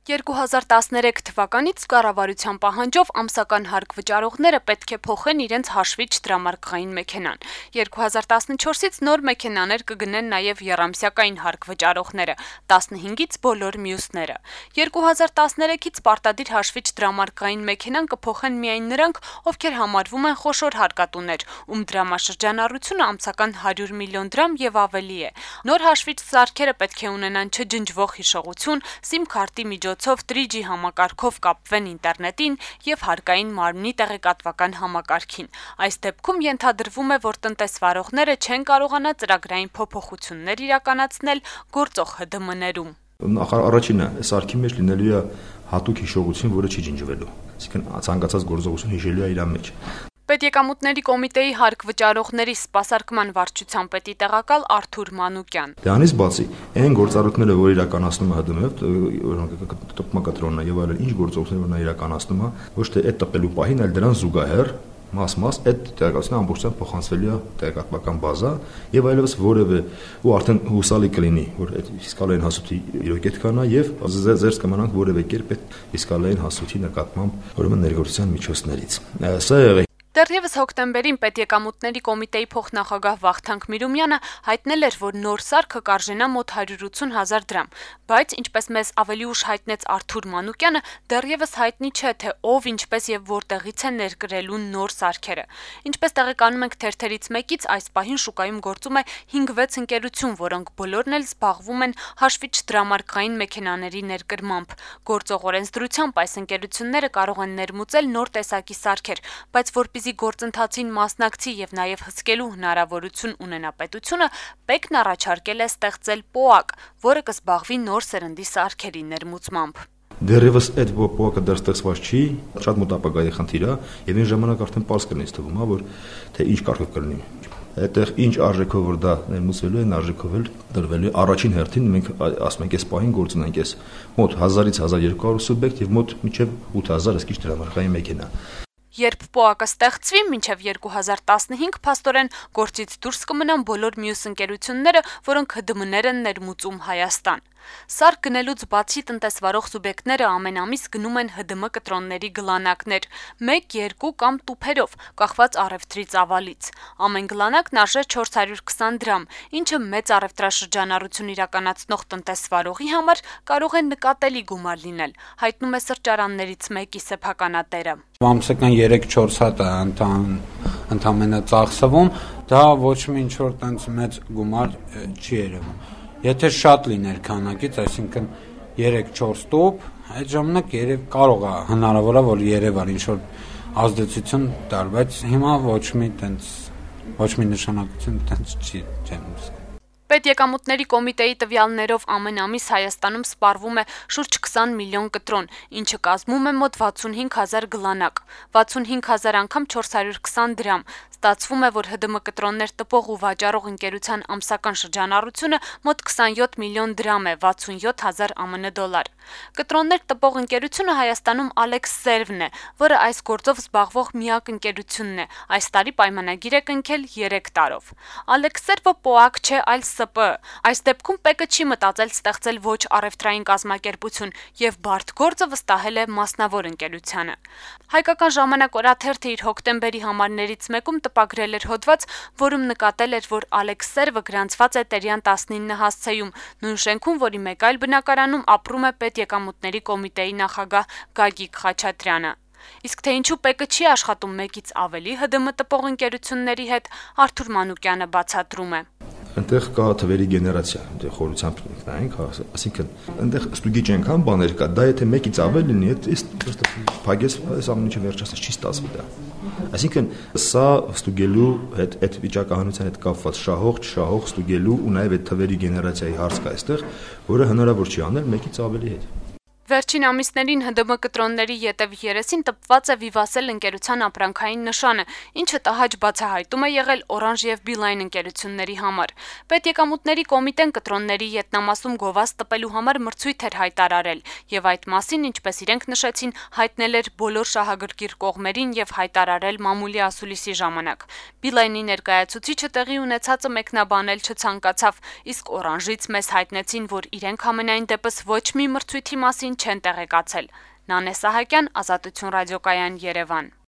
2013 թվականից կառավարության պահանջով ամսական հարկ վճարողները պետք է փոխեն իրենց հաշվիչ դրամարկղային մեքենան։ 2014-ից նոր մեքենաներ կգնեն նաև եռամսյակային հարկ վճարողները, 15-ից բոլոր մյուսները։ 2013-ից պարտադիր հաշվիչ դրամարկղային մեքենան կփոխեն միայն նրանք, ովքեր համարվում են խոշոր հարկատուներ, ում դրամաշրջանառությունը ամսական 100 միլիոն դրամ եւ ավելի է։ Նոր հաշվիչ սարքերը պետք է ունենան չջնջվող հիշողություն, SIM քարտի միջոցով 3G համակարգով կապվեն ինտերնետին եւ հարկային մարմնի տեղեկատվական համակարգին։ Այս դեպքում ենթադրվում է, որ տնտեսվարողները չեն կարողանա ծրագրային փոփոխություններ իրականացնել գործող ՀԴՄ-ներում։ Առաջինը, սարքի մեջ լինելու է հատուկ հիշողություն, որը չի ջնջվելու։ Այսինքն ցանկացած գործողություն հիշելու է իր մեջ։ Պետեկամուտների կոմիտեի հարկ վճարողների սպասարկման վարչության պետի տեղակալ Արթուր Մանուկյան։ Դրանից բացի, այն գործառույթները, որ իրականացնում է ՀԴՄ-ը, տպմակատրոնն եւ այլն, ինչ գործողություններ որ նա իրականացնում է, ոչ թե այդ տպելու պահին, այլ դրան զուգահեռ մաս այդ տեղեկատվությունը ամբողջությամբ փոխանցվելի է տեղեկատվական բազա եւ այլևս որևէ ու արդեն հուսալի կլինի, որ այդ ֆիսկալային հասույթի իրոք այդքան է եւ զերծ կմնանք որևէ կերպ այդ ֆիսկալային հասույթի նկատմամբ ուրեմն ներգործության միջոցներից։ Սա եղել Դեռևս հոկտեմբերին Պետեկամուտների կոմիտեի փոխնախագահ Վախթանգ Միրումյանը հայտնել էր, որ նոր սարքը կարժենա մոտ 180 000 դրամ, բայց ինչպես մեզ ավելի ուշ հայտնեց Արթուր Մանուկյանը, դեռևս հայտնի չէ, թե ով, ինչպես եւ որտեղից է ներկրելու նոր սարքերը։ Ինչպես տեղեկանում ենք թերթերից մեկից, այս պահին շուկայում գործում է 5-6 ընկերություն, որոնք բոլորն էլ զբաղվում են հաշվիչ դրամարկղային մեքենաների ներկրմամբ։ Գործող օրենսդրությամբ այս ընկերությունները կարող են ներմուծել նոր տեսակի սարքեր, բայց որպեսզի գործընթացին մասնակցի եւ նաեւ հսկելու հնարավորություն ունենա պետությունը, ՊԵԿ-ն առաջարկել է ստեղծել ՊՕԱԿ, որը կզբաղվի նոր սերնդի սարքերի ներմուծմամբ։ Դեռևս այդ ՊՕԱԿ-ը դեռ ստեղծված չի, շատ մոտ ապագայի խնդիր է, եւ այն ժամանակ արդեն պարզ կլինի թվում է, որ թե ինչ կարգով կլինի։ Այդտեղ ինչ արժեքով որ դա ներմուծվելու է, արժեքով էլ դրվելու է։ Առաջին հերթին մենք ասում ենք, այս պահին գործ ունենք այս մոտ 1000-ից 1200 սուբյեկտ եւ մոտ մինչեւ 8000 ըսկիչ դրամարկղային մեքենա։ Երբ ՊՕԱԿ-ը ստեղծվի, մինչև 2015 փաստորեն գործից դուրս կմնան բոլոր մյուս ընկերությունները, որոնք ՀԴՄ-ներ են ներմուծում Հայաստան։ Սարք գնելուց բացի տնտեսվարող սուբյեկտները ամեն ամիս գնում են ՀԴՄ կտրոնների գլանակներ, 1, 2 կամ տուփերով, կախված առևտրի ծավալից։ Ամեն գլանակն արժե 420 դրամ, ինչը մեծ առևտրաշրջանառություն իրականացնող տնտեսվարողի համար կարող է նկատելի գումար լինել, հայտնում է սրճարաններից մեկի սեփականատերը։ Ամսական 3-4 հատ է ընդամենը ծախսվում, դա ոչ մի ինչ-որ տենց մեծ գումար չի երևում։ Եթե շատ լիներ քանակից, այսինքն 3-4 տոպ, այդ ժամանակ կարող է հնարավոր է որ երևար ինչ-որ ազդեցություն տար, բայց հիմա ոչ մի նշանակություն տենց չեմ զգում։ Պետեկամուտների կոմիտեի տվյալներով ամեն ամիս Հայաստանում սպառվում է շուրջ 20 միլիոն կտրոն, ինչը կազմում է մոտ 65 000 գլանակ, 65 000 անգամ 420 դրամ։ Ստացվում է, որ ՀԴՄ կտրոններ տպող ու վաճառող ընկերության ամսական շրջանառությունը մոտ 27 միլիոն դրամ է, 67 000 ԱՄՆ դոլար։ Կտրոններ տպող ընկերությունը Հայաստանում Alex Serve-ն է, որը այս գործով զբաղվող միակ ընկերությունն է։ Այս տարի պայմանագիր է կնքել 3 տարով։ Alex Serve-ը ՊՕԱԿ չէ, այլ ՍՊ։ Այս դեպքում ՊԵԿ-ը չի մտածել ստեղծել ոչ առևտրային կազմակերպություն եւ բարդ գործը վստահել է մասնավոր ընկերությանը։ Հայկական ժամանակ օրաթերթը իր հոկտեմբերի համարներից մեկում տպագրել էր հոդված, որում նկատել էր, որ Alex Serve-ը գրանցված է Տերյան 19 հասցեում, նույն շենքում, որի մեկ այլ բնակարանում ապրում է Պետեկամուտների կոմիտեի նախագահ Գագիկ Խաչատրյանը։ Իսկ թե ինչու ՊԵԿ-ը չի աշխատում մեկից ավելի ՀԴՄ տպող ընկերությունների հետ, Արթուր Մանուկյանը բացատրում է։ Այնտեղ կա թվերի գեներացիա, այնտեղ խորությամբ նայենք, այսինքն այնտեղ ստուգիչ այնքան բաներ կա, դա եթե մեկից ավել լինի, այդ փագես այս ամեն ինչը վերջացած չի ստացվի դա։ Այսինքն սա ստուգելու հետ այդ վիճակահանության հետ կապված շահող, չշահող ստուգելու ու նաև այդ թվերի գեներացիայի հարց կա այստեղ, որը հնարավոր չի անել մեկից ավելի հետ։ Վերջին ամիսներին ՀԴՄ կտրոնների ետև երեսին տպված է Vivatel ընկերության ապրանքային նշանը, ինչը տհաճ բացահայտում է եղել Orange եւ Beeline ընկերությունների համար։ Պետեկամուտների կոմիտեն կտրոնների ետնամասում գովազ տպելու համար մրցույթ էր հայտարարել, եւ այդ մասին, ինչպես իրենք նշեցին, հայտնել էր բոլոր շահագրգիռ կողմերին եւ հայտարարել մամուլի ասուլիսի ժամանակ։ Beeline-ի ներկայացուցիչը տեղի ունեցածը մեկնաբանել չցանկացավ, իսկ Orange-ից մեզ հայտնեցին, որ իրենք համենայն դեպս ոչ մի մրցույթի մասին մասին չեն տեղեկացել։ Նանե Սահակյան, Ազատություն ռադիոկայան, Երևան։